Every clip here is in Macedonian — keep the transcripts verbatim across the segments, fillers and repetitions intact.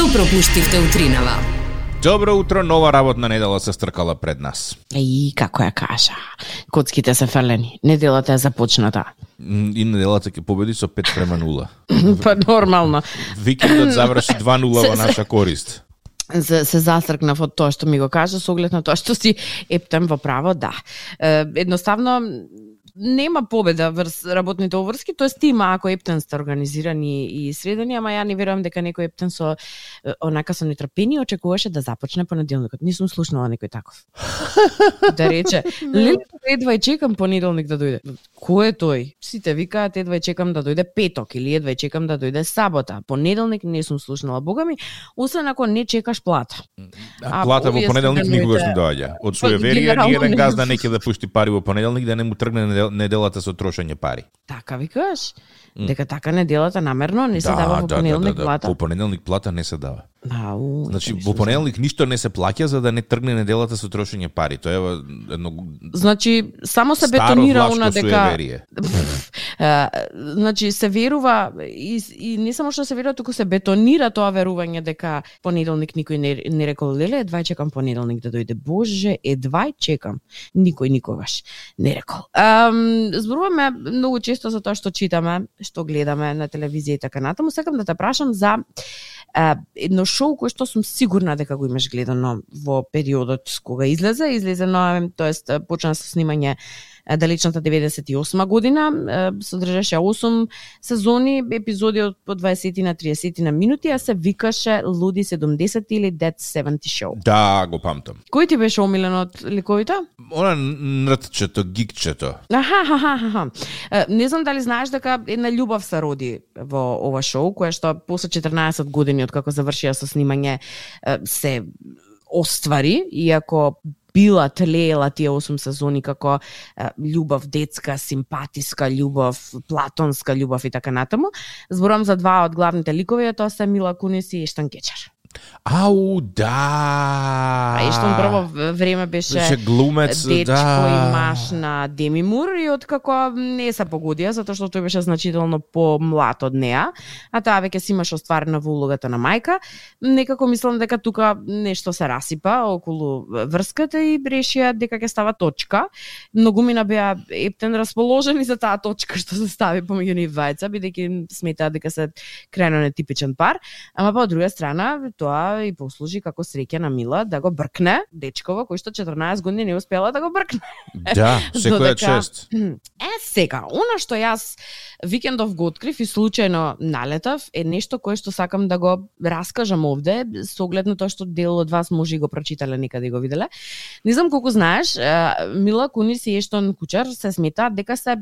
Што пропуштивте утринава? Добро утро, нова работна недела се стркала пред нас. И како ја кажа, коцките се фрлени, неделата е започната. И неделата ќе победи со пет према нула. Па нормално. Викендот заврши два нула во наша корист. Се, се застркнав од тоа што ми го кажа, со оглед на тоа што си ептем во право, да. Е, едноставно, нема победа врз работните обврски, тоест има ако ептен сте организирани и средени, ама ја не верувам дека некој ептен со онака со нетрпение очекуваше да започне понеделникот. Не сум слушнала некој таков. Да рече, леле, едва и чекам понеделник да дојде. Кој е тој? Сите викаат едва и чекам да дојде петок или едва и чекам да дојде сабота. Понеделник не сум слушнала, бога ми, освен ако не чекаш плата. А, а плата во понеделник никогаш не доаѓа. Од суеверија ни еден газда не ќе да пушти пари во понеделник да не му тргне неделата со трошење пари. Така викаш? Дека така неделата намерно не се да, дава во да, понеделник да, да, плата? Во понеделник плата не се дава. Ау, Значи, во понеделник ништо не се плаќа за да не тргне неделата со трошење пари. Тоа е едно Значи, само се бетонира она дека значи се верува и, и не само што се верува, туку се бетонира тоа верување дека понеделник никој не, не рекол леле, едва чекам понеделник да дојде. Боже, едва чекам. Никој никогаш не рекол. Um, зборуваме многу често за тоа што читаме, што гледаме на телевизија и така натаму. Сакам да те прашам за uh, едно шоу кој што сум сигурна дека го имаш гледано во периодот кога излезе, излезено, тоест почна со снимање далечната деветдесет и осма година, содржаше осум сезони, епизоди од по дваесет на триесет на минути, а се викаше Луди седумдесети или Dead седумдесет Show. Да, го памтам. Кој ти беше омилен од ликовите? Она нртчето, гикчето. Аха, аха, аха. Не знам дали знаеш дека една љубов се роди во ова шоу, која што после четрнаесет години од како завршија со снимање се оствари, иако била тлеела тие осум сезони како е, љубов детска, симпатиска љубов, платонска љубов и така натаму. Зборувам за два од главните ликови, тоа се Мила Кунис и Ештан Кечар. Ау, да. А Ештан прво време беше, беше глумец, дечко да. и маш на Деми Мур и откако не се погодија, затоа што тој беше значително помлад од неа, а таа веќе си имаше остварена во улогата на мајка, некако мислам дека тука нешто се расипа околу врската и решија дека ќе става точка. Многумина беа ептен расположени за таа точка што се стави помеѓу нив двајца, бидејќи сметаат дека се крајно нетипичен пар, ама па од друга страна тоа и послужи како среќа на Мила да го бркне дечкова кој што четрнаесет години не успела да го бркне. Да, секоја чест. Е, сега, она што јас викендов го открив и случајно налетав е нешто кое што сакам да го раскажам овде, со оглед на тоа што дел од вас може и го прочитале некаде и го виделе. Не знам колку знаеш, Мила Кунис и Ештон Кучар се сметаат дека се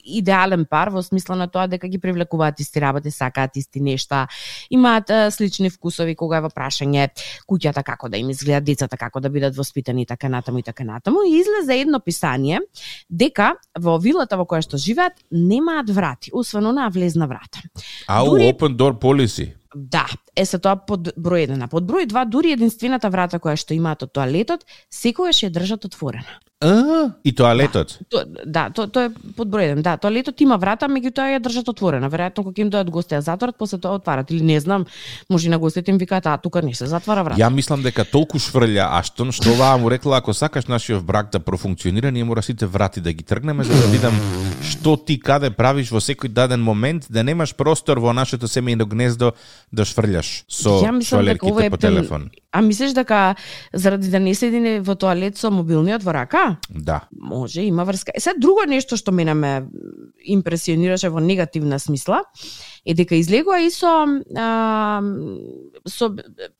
идеален пар во смисла на тоа дека ги привлекуваат исти работи, сакаат исти нешта, имаат а, слични вкусови кога е во прашање куќата како да им изгледа, децата како да бидат воспитани и така натаму и така натаму. И излезе едно писание дека во вилата во која што живеат немаат врати, освен онаа влезна врата. Ау, Дури... open door policy. Да, е се тоа под број еден. А под број два, дури единствената врата која што имаат од тоалетот, секогаш ја држат отворена. А, и тоалетот? Да, то, да, то, тоа е под број еден. Да, тоалетот има врата, меѓутоа ја држат отворена. Веројатно кога им дојдат гости ја затворат, после тоа отварат или не знам, може на гостите им викаат, а тука не се затвара врата. Ја мислам дека толку шврља Аштон што оваа му рекла ако сакаш нашиот брак да профункционира, ние мора сите врати да ги тргнеме за да видам што ти каде правиш во секој даден момент, да немаш простор во нашето семејно гнездо да шврљаш со швалерките по телефон. А мислиш дека заради да не седи во тоалет со мобилниот во рака? Да. Може, има врска. Е, сега друго нешто што мене ме импресионираше во негативна смисла е дека излегува и со, а, со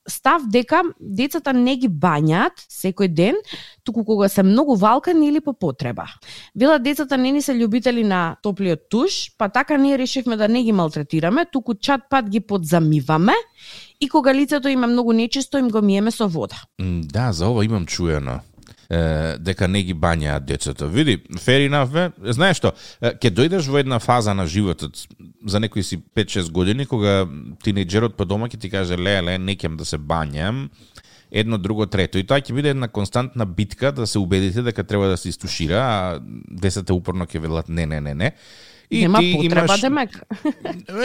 став дека децата не ги бањаат секој ден, туку кога се многу валкани или по потреба. Вела децата не ни се љубители на топлиот туш, па така ние решивме да не ги малтретираме, туку чат пат ги подзамиваме и кога лицето им е многу нечисто, им го миеме со вода. Да, за ова имам чуено. Е, дека не ги бањаат децата. Види, fair enough, бе. Знаеш што, ќе дојдеш во една фаза на животот, за некои си пет-шест години, кога тинејџерот по дома ќе ти каже, ле, ле, не ќам да се бањам, едно, друго, трето. И тоа ќе биде една константна битка да се убедите дека треба да се истушира, а децата упорно ќе велат не, не, не, не. И нема ти потреба, имаш... демек.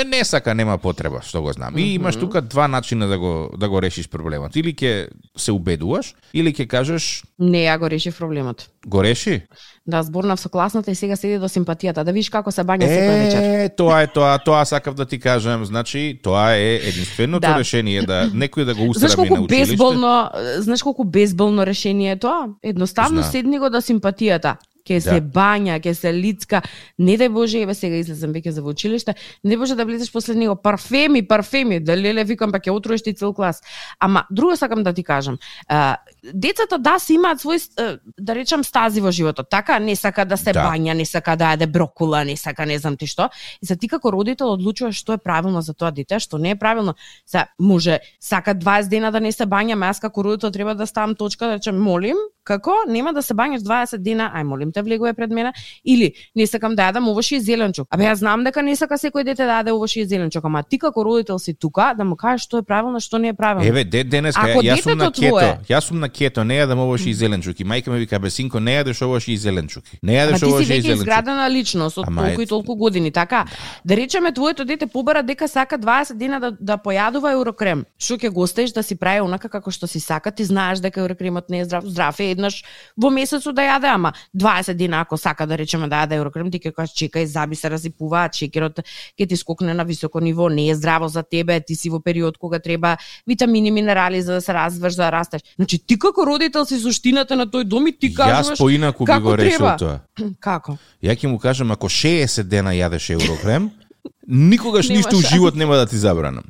Не сака, нема потреба, што го знам. И имаш тука два начина да го да го решиш проблемот. Или ќе се убедуваш, или ќе кажеш Не, ја го решив проблемот. го реши. Да, зборнав со класната и сега седи до симпатијата. Да видиш како се бања секој вечер. Е, тоа е тоа, тоа сакав да ти кажам. Значи, тоа е единственото Да. решение да некој да го Знаеш усраби колку на училиште. безболно, знаеш колку безболно решение е тоа? Едноставно Знам. седни го до симпатијата. Ке се Да. бања, ке се лицка. Не дај Боже, еве сега излезам веќе за во училиште, не може да влезеш после него парфеми, парфеми, да леле викам па ќе отруеш ти цел клас. Ама друго сакам да ти кажам. А, децата да се имаат свој а, да речам стази во животот. Така не сака да се Да. бања, не сака да јаде брокула, не сака не знам ти што. И за ти како родител одлучуваш што е правилно за тоа дете, што не е правилно. Се може сака дваесет дена да не се бања, ама јас како родител треба да ставам точка да речем молим, како нема да се бањаш дваесет дена, ај молим те влегуве пред мене, или не сакам да јадам овошје и зеленчук. Абе јас знам дека не сака секој дете да јаде овошје и зеленчук, ама ти како родител си тука да му кажеш што е правилно, што не е правилно. Еве, де, денеска, Ако јас сум на детето кето, твое- јас сум на кето, не јадам овошје и зеленчуки. Мајка ми вика, бе синко, не јадеш овошје и зеленчуки. Не Ама јадеш ти си овошје и веќе зеленчуки. изградена личност од Ама толку и ет- толку години, така? Да речеме твоето дете побара дека сака дваесет дена да да појадува еурокрем. Што ќе го оставиш да си прави онака како што си сака, ти знаеш дека еурокремот не е здрав, здрав е еднаш во месецот да јаде, ама дваесет дена ако сака да речеме да јаде еурокрем, ти ќе кажеш чекај, заби се разипуваат, шеќерот ќе ти скокне на високо ниво, не е здраво за тебе, ти си во период кога треба витамини, минерали за да се развиваш, за да растеш. Значи ти како родител си суштината на тој дом и ти кажуваш Јас поинаку би како го решил треба. тоа. Како? Ја ќе му кажам, ако шеесет дена јадеш еурокрем, никогаш Нема ништо у шанса. живот нема да ти забранам.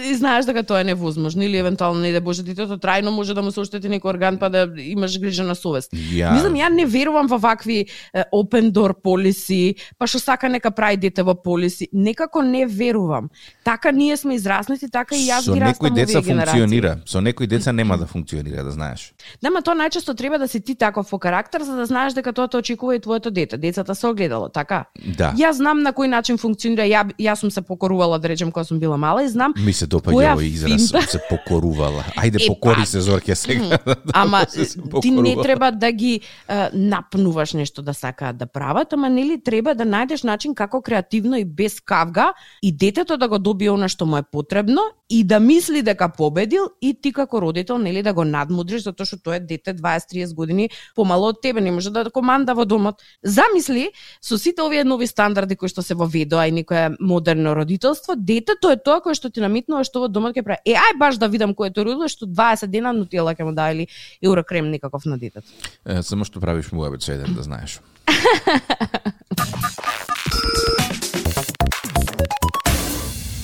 И знаеш дека тоа е невозможно или евентуално не да Боже детето трајно може да му се оштети некој орган па да имаш грижа на совест. Ја... Мислам, ја не верувам во вакви е, open door policy, па што сака нека прави дете во полиси. Некако не верувам. Така ние сме израснати, така и јас Со ги некои растам деца овие генерации. функционира, со некои деца нема да функционира, да знаеш. Да, ма тоа најчесто треба да си ти таков по карактер за да знаеш дека тоа те очекува и твоето дете. Децата се огледало, така? Да. Јас знам на кој начин функционира. Ја јас сум се покорувала да речем кога сум била мала и знам Ми се допаѓа која овој израз, финта- се покорувала. Ајде Е, покори па, се Зорке сега. Ама Се се ти не покорувала. треба да ги е, напнуваш нешто да сакаат да прават, ама нели треба да најдеш начин како креативно и без кавга и детето да го добие она што му е потребно и да мисли дека победил и ти како родител нели да го надмудриш затоа што тоа е дете дваесет триесет години помало од тебе, не може да команда во домот. Замисли со сите овие нови стандарди кои што се воведоа и некое модерно родителство, детето е тоа кое што ти наметнува што во домот ќе прави. Е, ај баш да видам кој е тој родител што дваесет дена нутела ќе му даде или еурокрем некаков на детето. Е, само што правиш муабет со еден, да знаеш.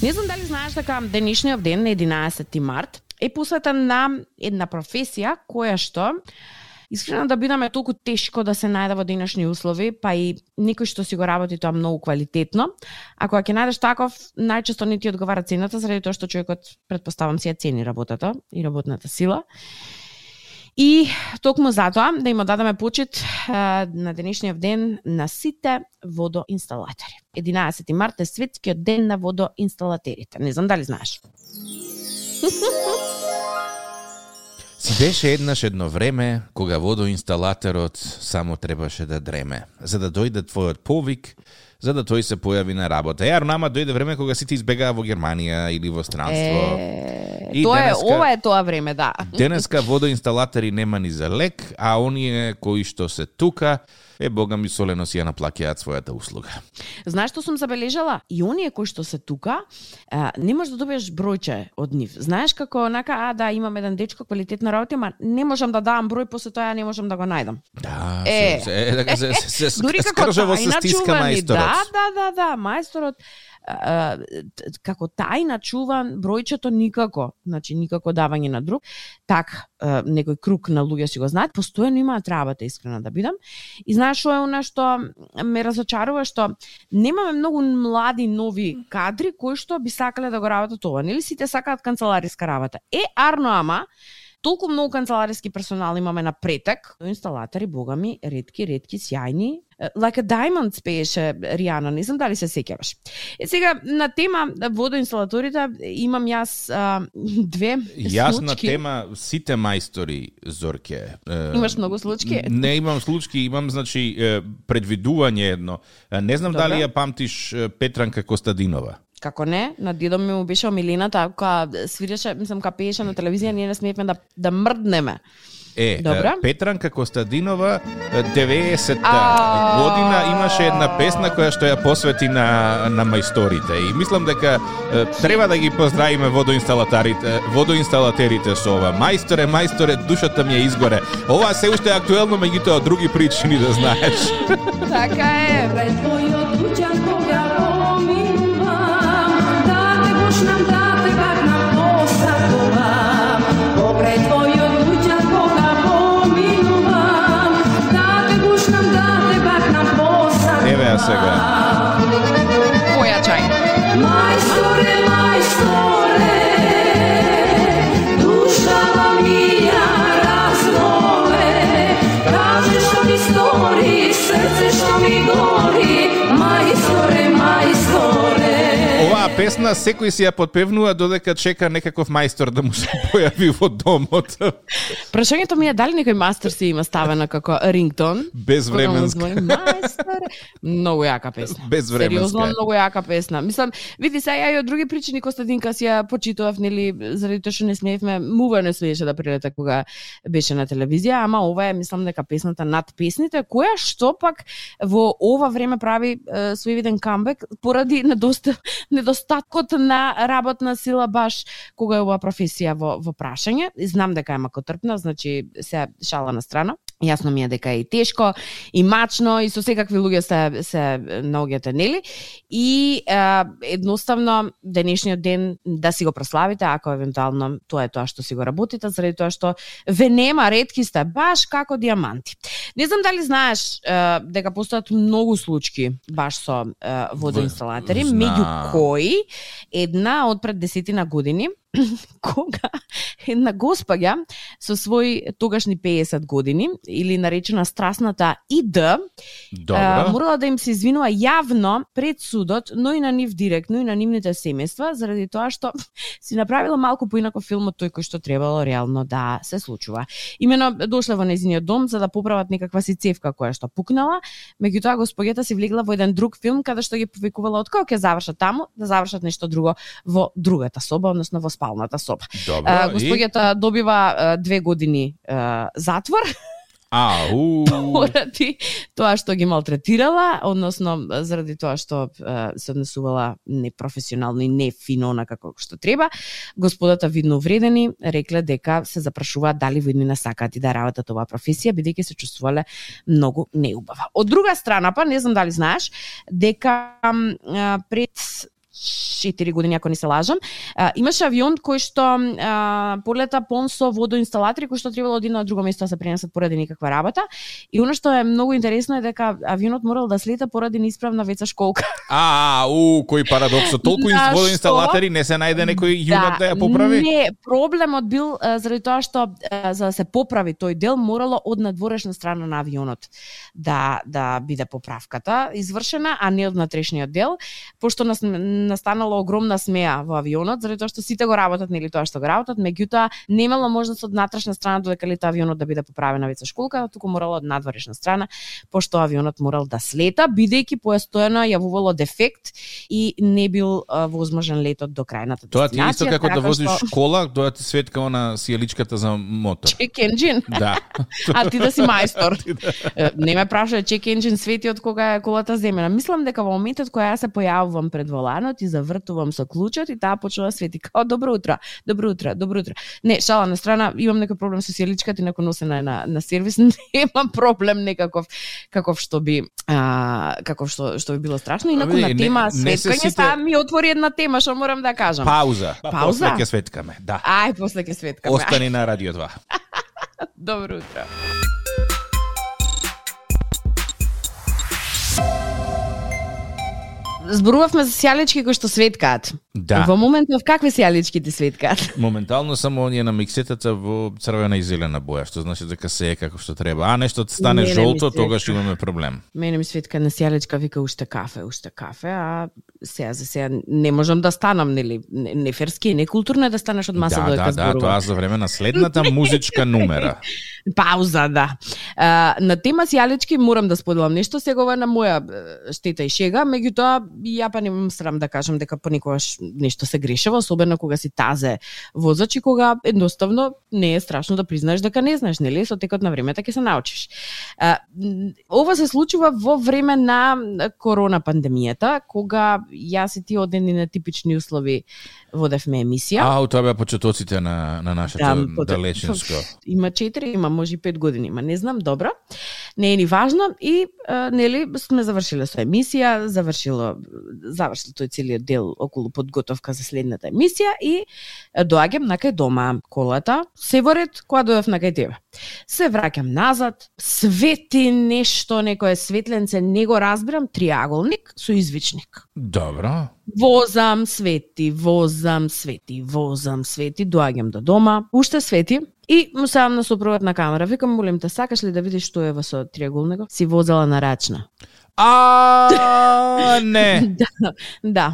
Не знам дали знаеш дека денешниот ден на единаесети март е посветен на една професија која што искрено да бидаме толку тешко да се најде во денешни услови, па и никој што си го работи тоа многу квалитетно. Ако ќе најдеш таков, најчесто не ти одговара цената, заради тоа што човекот предпоставам си ја цени работата и работната сила. И токму затоа да им дадеме почит а, на денешниот ден на сите водоинсталатори. единаесети март е светскиот ден на водоинсталатерите. Не знам дали знаеш. Си беше еднаш едно време кога водоинсталаторот само требаше да дреме, за да дојде твојот повик, за да тој се појави на работа. Ја, нама дојде време кога сите избегаа во Германија или во странство. Е, И тоа денеска- е, ова е тоа време, да. Денеска водоинсталатори нема ни за лек, а оние кои што се тука, е бога ми солено си ја наплаќаат својата услуга. Знаеш што сум забележала? И оние кои што се тука, а, не можеш да добиеш бројче од нив. Знаеш како онака, а да, имам еден дечко квалитетна работа, ама не можам да давам број, после тоа ја не можам да го најдам. Да, Е. се, се, така се, се, се Дури како скржаво се тајна стиска чувани, мајсторот. да, да, да, да, мајсторот а, т- како тајна чуван бројчето никако, значи никако давање на друг, так а, некој круг на луѓе си го знаат, постојано имаат работа, искрено да бидам. И знаеш што е она што ме разочарува, што немаме многу млади нови кадри кои што би сакале да го работат ова. Нели сите сакаат канцелариска работа. Е, арно ама, Толку многу канцелариски персонал имаме на претек, инсталатори, богами, ретки, ретки, сјајни. Like a Diamond пееше Ријана, не знам дали се сеќаваш. Е сега на тема водоинсталаторите имам јас а, две Јас случки. на тема сите мајстори, Зорке. Имаш многу случки? Не имам случки, имам значи предвидување едно. Не знам Добре. дали ја памтиш Петранка Костадинова. Како не, на дедо ми му беше омилената, кога свиреше, мислам, кога пееше на телевизија, ние не смеевме да, да мрднеме. Е, Добра. Петранка Костадинова деветдесетта А... година имаше една песна која што ја посвети на на мајсторите и мислам дека е, треба да ги поздравиме водоинсталаторите, водоинсталатерите со ова. Мајсторе, мајсторе, душата ми е изгоре. Ова се уште е актуелно, меѓутоа од други причини да знаеш. Така е. Еве ја сега. Појачај. Мајсторе, мајсторе, душава мија разнове, кажи што ми стори, срце што ми гори, мајсторе, мајсторе. Оваа песна секој си ја подпевнува додека чека некаков мајстор да му се појави во домот. Прашањето ми е дали некој мастер си има ставена како рингтон? Безвременска. Кога му звони, мајсторе. Многу јака песна. Безвременска. Сериозно, многу јака песна. Мислам, види се, ја и од други причини Костадинка си ја почитував, нели, заради тоа што не смеевме, мува не смееше да прилета кога беше на телевизија, ама ова е, мислам дека песната над песните, која што пак во ова време прави е, своевиден камбек поради недоста, недостаткот на работна сила баш кога е оваа професија во, во прашање. Знам дека е макотрпна, значи се шала на страна. Јасно ми е дека е и тешко, и мачно, и со секакви луѓе се, се наоѓате, нели? И е, едноставно, денешниот ден да си го прославите, ако евентуално тоа е тоа што си го работите, заради тоа што ве нема, ретки сте, баш како диаманти. Не знам дали знаеш е, дека постојат многу случаи баш со е, водоинсталатори, Знам. меѓу кои една од пред десетина години, кога една госпаѓа со своји тогашни пеесет години, или наречена страсната ИД, а, морала да им се извинува јавно пред судот, но и на нив директно и на нивните семејства, заради тоа што си направила малку поинаков филм од тој кој што требало реално да се случува. Имено дошле во нејзиниот дом за да поправат некаква си цевка која што пукнала, меѓутоа госпоѓата си влегла во еден друг филм каде што ги повикувала од кога ќе завршат таму, да завршат нешто друго во другата соба, односно во спалната соба. Добро, а, госпоѓата и... добива а, две години а, затвор. Ау. Поради тоа што ги малтретирала, односно заради тоа што а, се однесувала непрофесионално и нефино на како што треба. Господата видно увредени рекле дека се запрашуваат дали во иднина сакаат и да работат оваа професија, бидејќи се чувствувале многу неубава. Од друга страна па, не знам дали знаеш, дека а, пред четири години, ако не се лажам, а, имаше авион кој што а, полета пон со водоинсталатори кои што требало од едно на друго место да се пренесат поради некаква работа. И оно што е многу интересно е дека авионот морал да слета поради неисправна веца школка. А, у, кој парадокс, толку На водоинсталатори не се најде некој јунак да, да ја поправи? Не, проблемот бил а, заради тоа што а, за да се поправи тој дел морало од надворешна страна на авионот да да биде поправката извршена, а не од внатрешниот дел, пошто нас настанала огромна смеа во авионот, заради тоа што сите го работат, нели тоа што го работат, меѓутоа немало можност од внатрешна страна додека лета авионот да биде поправена веца школка, туку морало од надворешна страна, пошто авионот морал да слета, бидејќи постојано јавувало дефект и не бил а, возможен летот до крајната дестинација. Тоа ти е исто како да возиш што... школа, тоа ти светка она сијаличката за мотор. Check engine. Да. А ти да си мајстор. Не ме прашај, check engine свети од кога е колата земена. Мислам дека во моментот кога јас се појавувам пред воланот и завртувам со клучот и таа почнува да свети као добро утро, добро утро, добро утро. Не, шала на страна, имам некој проблем со сијаличката и некој носена на на сервис, немам проблем некаков каков што би а, каков што што би било страшно, инаку не, на тема не, не светкање сите... сега ми отвори една тема што морам да кажам. Пауза. Пауза? После ќе светкаме, да. Ај, после ќе светкаме. Остани на Радио два. Добро утро. зборувавме за сијалички кои што светкаат. Да. Во моментов какви сијалички ти светкаат? Моментално само оние на миксетата во црвена и зелена боја, што значи дека се е како што треба. А нешто стане Мене ми жолто, светка. тогаш имаме проблем. Мене ми светка на сијаличка вика уште кафе, уште кафе, а сега за сега не можам да станам, нели, не, не ферски, не културно е да станеш од маса Да, додека да, да, зборувам. тоа за време на следната музичка numera. Пауза, да. А, на тема сијалички морам да споделам нешто, сега ова е на моја е, штета и шега, меѓутоа ја па немам срам да кажам дека понекогаш нешто се грешава, особено кога си тазе возач и кога едноставно не е страшно да признаеш дека не знаеш, нели, со текот на времето ќе се научиш. А, ова се случува во време на корона пандемијата, кога јас и ти одени на типични услови водевме емисија. А, тоа беа почетоците на, на нашето Да, пот- далечинско. Има четири, има може и пет години, ма не знам, добро. Не е ни важно и а, нели сме завршиле со емисија, завршило завршил тој целиот дел околу подготовка за следната емисија и а, доаѓам на кај дома, колата, се во ред, кога дојдов на кај тебе. Се враќам назад, свети нешто, некое светленце, не го разбирам, триаголник со извичник. Добро. Возам, свети, возам, свети, возам, свети, доаѓам до дома, уште свети и му сам на сопругот на камера. Викам, молим те, сакаш ли да видиш што е во со триаголникот? Си возела на рачна. А, не. Да, да.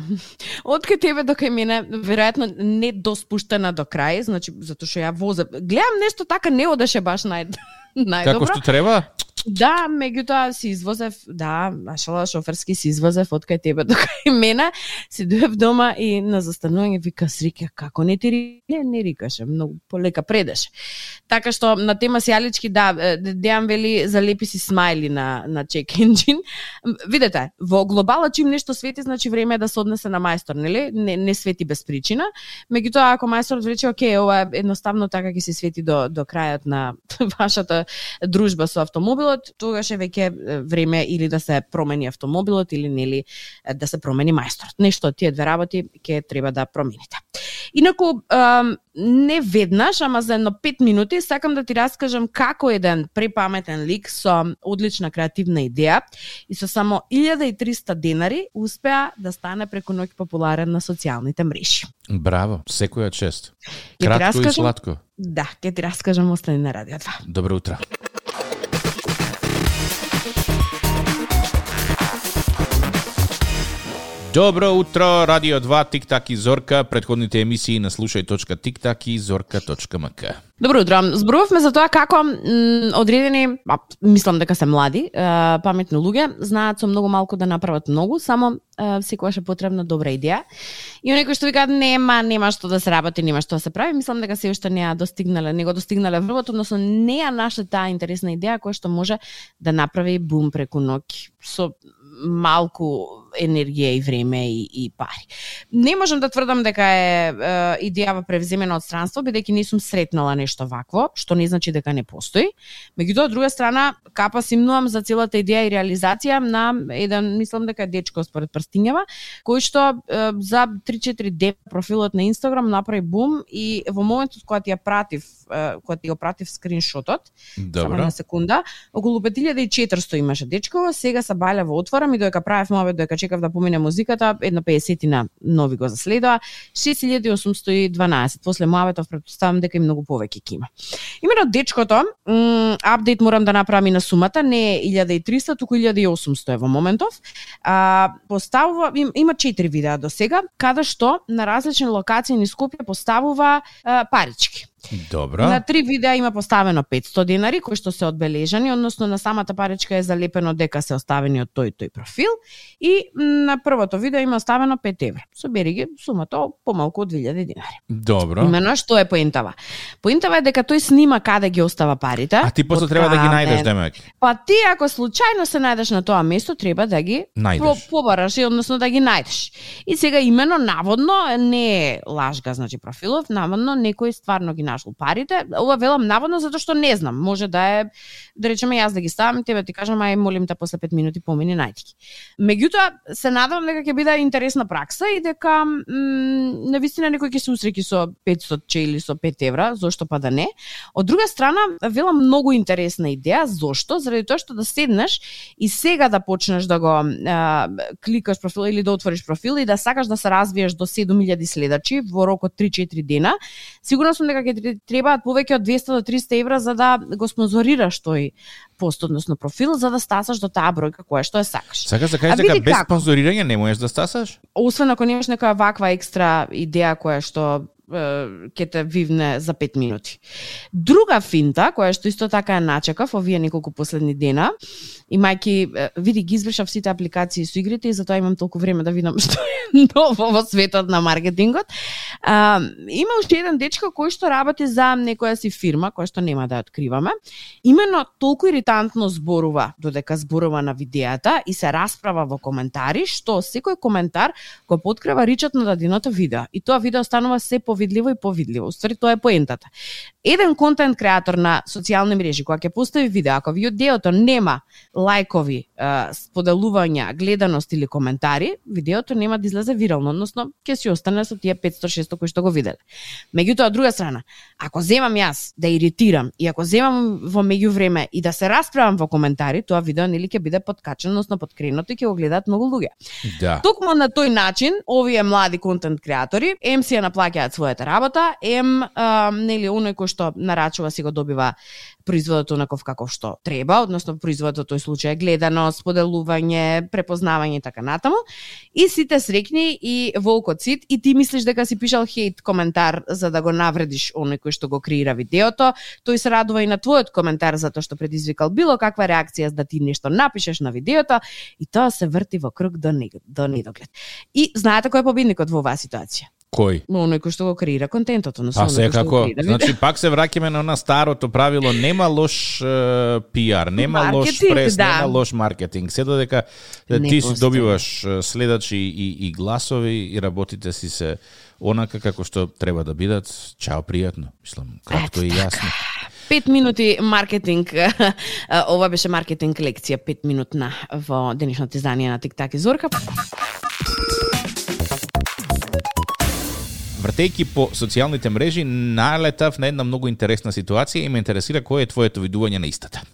Од кај тебе до кај мене, веројатно не доспуштена до крај, значи затоа што ја возам. Гледам нешто така не одеше баш нај најдобро. Како што треба? Да, меѓутоа си извозев, да, машала шоферски си извозев од кај тебе до кај мене, си дојдов дома и на застанување вика Срика, како не ти ри... не, не рикаше, многу полека предеше. Така што на тема сијалички, да, Дејан вели залепи си смајли на на check engine. Видете, во глобала чим нешто свети, значи време е да се однесе на мајстор, нели? Не, не свети без причина. Меѓутоа ако мајсторот рече, окей, ова е едноставно така ќе се свети до до крајот на вашата дружба со автомобилот, тогаш е веќе време или да се промени автомобилот или нели да се промени мајсторот. Нешто од тие две работи ќе треба да промените. Инаку, ем, не веднаш, ама за едно пет минути, сакам да ти раскажам како еден препаметен лик со одлична креативна идеја и со само илјада и триста денари успеа да стане преку ноќ популарен на социјалните мрежи. Браво, секоја чест. Ќе ти Кратко и раскажам? сладко. Да, ќе ти раскажам, остани на Радио два. Добро утро. Добро утро, Радио два, Тик-так и Зорка. Предходните емисии на слушај точка тик-так и зорка точка ем ка. Добро утро. Зборувавме за тоа како м, одредени, а, мислам дека се млади, а, паметни луѓе, знаат со многу малку да направат многу, само а, секогаш е потребна добра идеја. И оние кои што викаат нема, нема што да се работи, нема што да се прави, мислам дека се уште не ја достигнале, не го достигнале врвот, односно не ја нашла таа интересна идеја која што може да направи бум преку ноќ со малку енергија и време и, и пари. Не можам да тврдам дека е, е идејава превземена од странство, бидејќи не сум сретнала нешто вакво, што не значи дека не постои. Меѓутоа, од друга страна, капа си мнувам за целата идеја и реализација на еден, мислам дека е дечко според прстињава, кој што е, за три-четири дена профилот на Инстаграм направи бум и во моментот кога ти ја пратив, е, кога ти го пратив скриншотот, само на секунда, околу пет илјади и четиристо имаше дечко, сега се балја во отвора и додека правев мовет, додека чекав да помине музиката, едно педесетина нови го заследоа, шест илјади осумсто и дванаесет. После муаветов претпоставам дека и многу повеќе ќе има. Имено дечкото, м, апдейт морам да направам и на сумата, не е илјада и триста, туку илјада и осумсто е во моментов. А, поставува, им, има четири видеа до сега, каде што на различни локации низ Скопје поставува а, парички. Добро. На три видеа има поставено петсто денари, кои што се одбележани, односно на самата паричка е залепено дека се оставени од тој тој профил и на првото видео има оставено пет евра. Собери ги сумата помалку од две илјади денари. Добро. Имено што е поентава? Поентава е дека тој снима каде ги остава парите. А ти после треба да ги најдеш, демек. Па ти ако случајно се најдеш на тоа место, треба да ги Најдеш. побараш, односно да ги најдеш. И сега имено наводно не е лажга, значи профилов, наводно некој стварно ги нашол парите. Ова велам наводно затоа што не знам. Може да е, да речеме јас да ги ставам, тебе ти кажам, ај молим те после пет минути помини најди ги. Меѓутоа се надевам дека ќе биде интересна пракса и дека м, навистина некој ќе се усреќи со петстотини или со пет евра, зошто па да не. Од друга страна, велам многу интересна идеја, зошто? Заради тоа што да седнеш и сега да почнеш да го а, кликаш профил или да отвориш профил и да сакаш да се развиеш до седум илјади следачи во рок од три-четири дена, сигурно сум дека ќе требаат повеќе од двесте до триста евра за да го спонзорираш тој пост, односно профил, за да стасаш до таа бројка која што ја сакаш. Сакаш да кажеш дека без спонзорирање не можеш да стасаш? Освен ако немаш нека ваква екстра идеја која што ќе те вивне за пет минути. Друга финта, која што исто така ја начекав овие неколку последни дена, имајќи, види, ги извршав сите апликации со игрите и затоа имам толку време да видам што е ново во светот на маркетингот. А, има уште еден дечко кој што работи за некоја си фирма, која што нема да ја откриваме. Именно толку иритантно зборува, додека зборува на видеата и се расправа во коментари, што секој коментар го подкрива ричот на даденото видео. И тоа видео станува се повидливо и повидливо. Уствари тоа е поентата. Еден контент креатор на социјални мрежи која ќе постави видео, ако видеото нема лајкови, споделувања, гледаност или коментари, видеото нема да излезе вирално, односно ќе си остане со тие петсто-шесто кои што го виделе. Меѓутоа, од друга страна, ако земам јас да иритирам и ако земам во меѓувреме и да се расправам во коментари, тоа видео нели ќе биде подкачено, односно подкренато и ќе го гледаат многу луѓе. Да. Токму на тој начин, овие млади контент креатори ем си ја наплаќаат својата работа, ем а, нели оној кој што нарачува си го добива производот онаков каков што треба, односно производот тој случај гледаност, споделување, препознавање и така натаму. И сите срекни и волкот сит и ти мислиш дека си пишал хейт коментар за да го навредиш оној кој што го креира видеото, тој се радува и на твојот коментар затоа што предизвикал било каква реакција да ти нешто напишеш на видеото и тоа се врти во круг до не, до недоглед. И знаете кој е победникот во оваа ситуација? Кој? Оној кој што го креира контентот, но А се како, значи пак се враќаме на она старото правило, нема лош е, пиар, нема маркетинг, лош прес, да. Нема лош маркетинг. Се додека не ти си добиваш следачи и, и гласови и работите си се онака како што треба да бидат, чао, пријатно. Мислам, кратко и јасно. Пет минути маркетинг, ова беше маркетинг лекција, пет минутна во денешното издание на Тик-так и Зорка. Вртејќи по социјалните мрежи, налетав на една многу интересна ситуација и ме интересира кој е твоето видување на истата.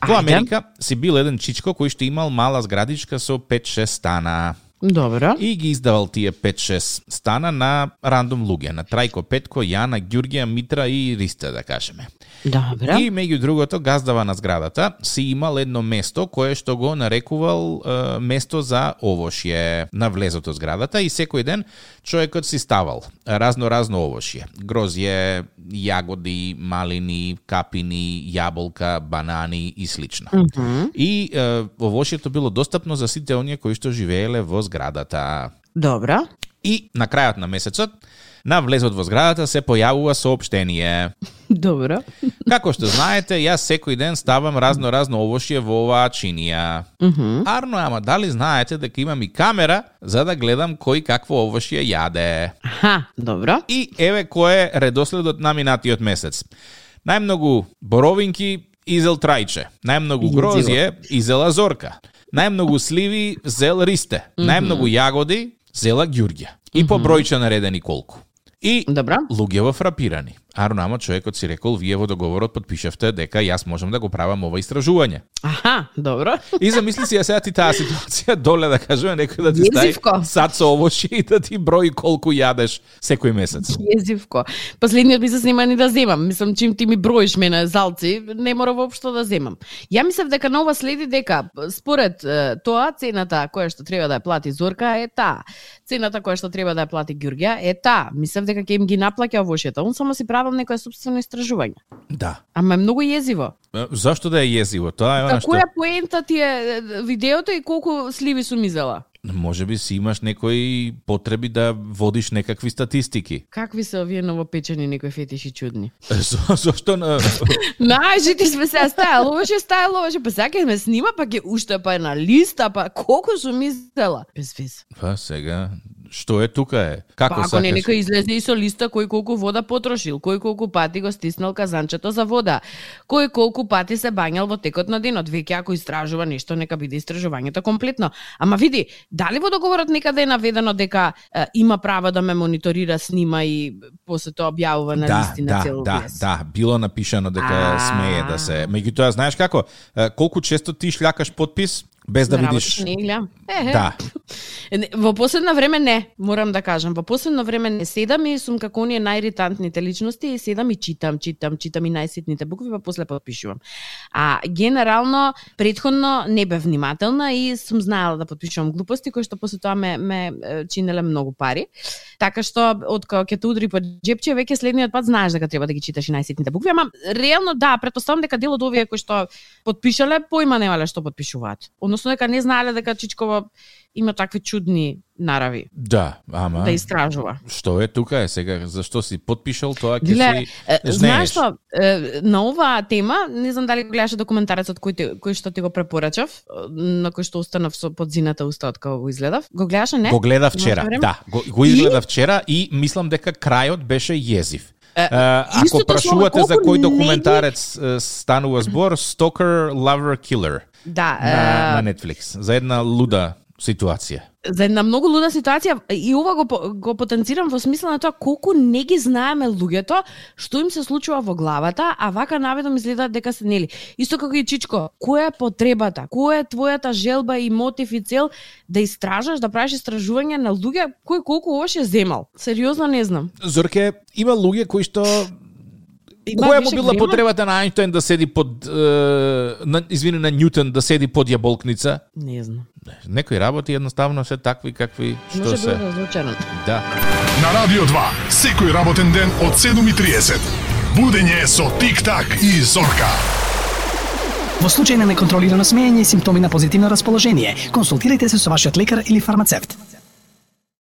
Во Америка си бил еден чичко кој што имал мала зградичка со пет-шест стана. Добро. И ги издавал тие пет-шест стана на рандом луѓе, на Трајко, Петко, Јана, Ѓурѓија, Митра и Ристе, да кажеме. Добро. И меѓу другото, газдава на зградата си имал едно место кое што го нарекувал е, место за овошје на влезото зградата и секој ден човекот си ставал разно-разно овошје. Грозје, јагоди, малини, капини, јаболка, банани и слично. Mm-hmm. И е, овошјето било достапно за сите оние кои што живееле во зградата. Добро. И на крајот на месецот, на влезот во зградата се појавува соопштение. Добро. Како што знаете, јас секој ден ставам разно-разно овошје во оваа чинија. Mm-hmm. Арно, ама дали знаете дека имам и камера за да гледам кој какво овошје јаде? Аха, добро. И еве кој е редоследот на минатиот месец. Најмногу боровинки изел Трајче, најмногу грозје изела Зорка, најмногу сливи зел Ристе, mm-hmm. најмногу јагоди зела Ѓурѓа. И по бројче наредени колку. И Добра. луѓе во фрапирани. Арно, ама човекот си рекол, вие во договорот подпишавте дека јас можам да го правам ова истражување. Аха, добро. И замисли си ја сега ти таа ситуација, доле да кажува некој да ти Језивко. стави сад со овошје и да ти брои колку јадеш секој месец. Језивко. Последниот месец нема ни да земам. Мислам, чим ти ми броиш мене залци, не мора воопшто да земам. Ја мислев дека нова следи дека според е, тоа цената која што треба да ја плати Зорка е таа. Цената која што треба да ја плати Ѓурѓа е таа. Мислев дека ќе им ги наплаќа овошјето. Он само си правам некое собствено истражување. Да. Ама е многу језиво. Зашто да е језиво? Тоа е она што... Која поента ти е видеото и колку сливи сум изела? Може би си имаш некои потреби да водиш некакви статистики. Какви се овие новопечени некои фетиши чудни? За, зашто на... Најжити сме се стајало, овоше стајало, овоше, па сега ме снима, па ќе уште па е на листа, па колку сум изела? Без вез. Па сега, Што е тука е? Како Па, ако сакаш? не, нека излезе и со листа кој колку вода потрошил, кој колку пати го стиснал казанчето за вода, кој колку пати се бањал во текот на денот. Веќе ако истражува нешто, нека биде истражувањето комплетно. Ама види, дали во договорот некаде е наведено дека е, има право да ме мониторира, снима и после тоа објавува на Да, листи на да, цел да, вес? да, било напишано дека А. смее да се. Меѓутоа, знаеш како? Е, Колку често ти шљакаш потпис без да На видиш? работа не гледам. Е, е. Да. Не, Во последно време не, морам да кажам. Во последно време не седам и сум како оние најиритантните личности и седам и читам, читам, читам и најситните букви, па после подпишувам. А генерално, предходно не бев внимателна и сум знаела да подпишувам глупости, кои што после тоа ме, ме е, чинеле многу пари. Така што, од кога ќе те удри по джепче, веќе следниот пат знаеш дека треба да ги читаш и најситните букви, ама реално да, претпоставам дека дел од овие кои што подпишале, поима немале што подпишуваат. Односно дека не знаеле дека Чичкова има такви чудни нарави Да, ама да истражува. што е тука е сега? Зашто си подпишал тоа ќе Гле, си е, жнееш? знаеш што, е, на оваа тема, не знам дали го гледаше документарецот кој, те, кој што ти го препорачав, на кој што останав со подзината уста од кога го изгледав. Го гледаше, не? Го гледав вчера, Имаш време? да, го, го изгледав вчера и мислам дека крајот беше језив. Е, Uh, ако истото прашувате слово, за колку кој не документарец uh, станува збор, Stalker, Lover, Killer Да, на, е, на Netflix, за една луда ситуација. за една многу луда ситуација и ова го, по- го потенцирам во смисла на тоа колку не ги знаеме луѓето, што им се случува во главата, а вака наведом изгледаат дека се нели. Исто како и Чичко, која е потребата, која е твојата желба и мотив и цел да истражаш, да правиш истражување на луѓе кој колку овош е земал? Сериозно не знам. Зорке, има луѓе кои што Има која му више била време? потребата на Ајнштајн да седи под е, на, извини на Њутон да седи под јаболкница? Не знам. Некои работи едноставно се такви какви што Може се. би разлучено. Да. На Радио два, секој работен ден од седум и триесет. Будење со Тик-так и Зорка. Во случај на неконтролирано смеење и симптоми на позитивно расположение, консултирайте се со вашиот лекар или фармацевт.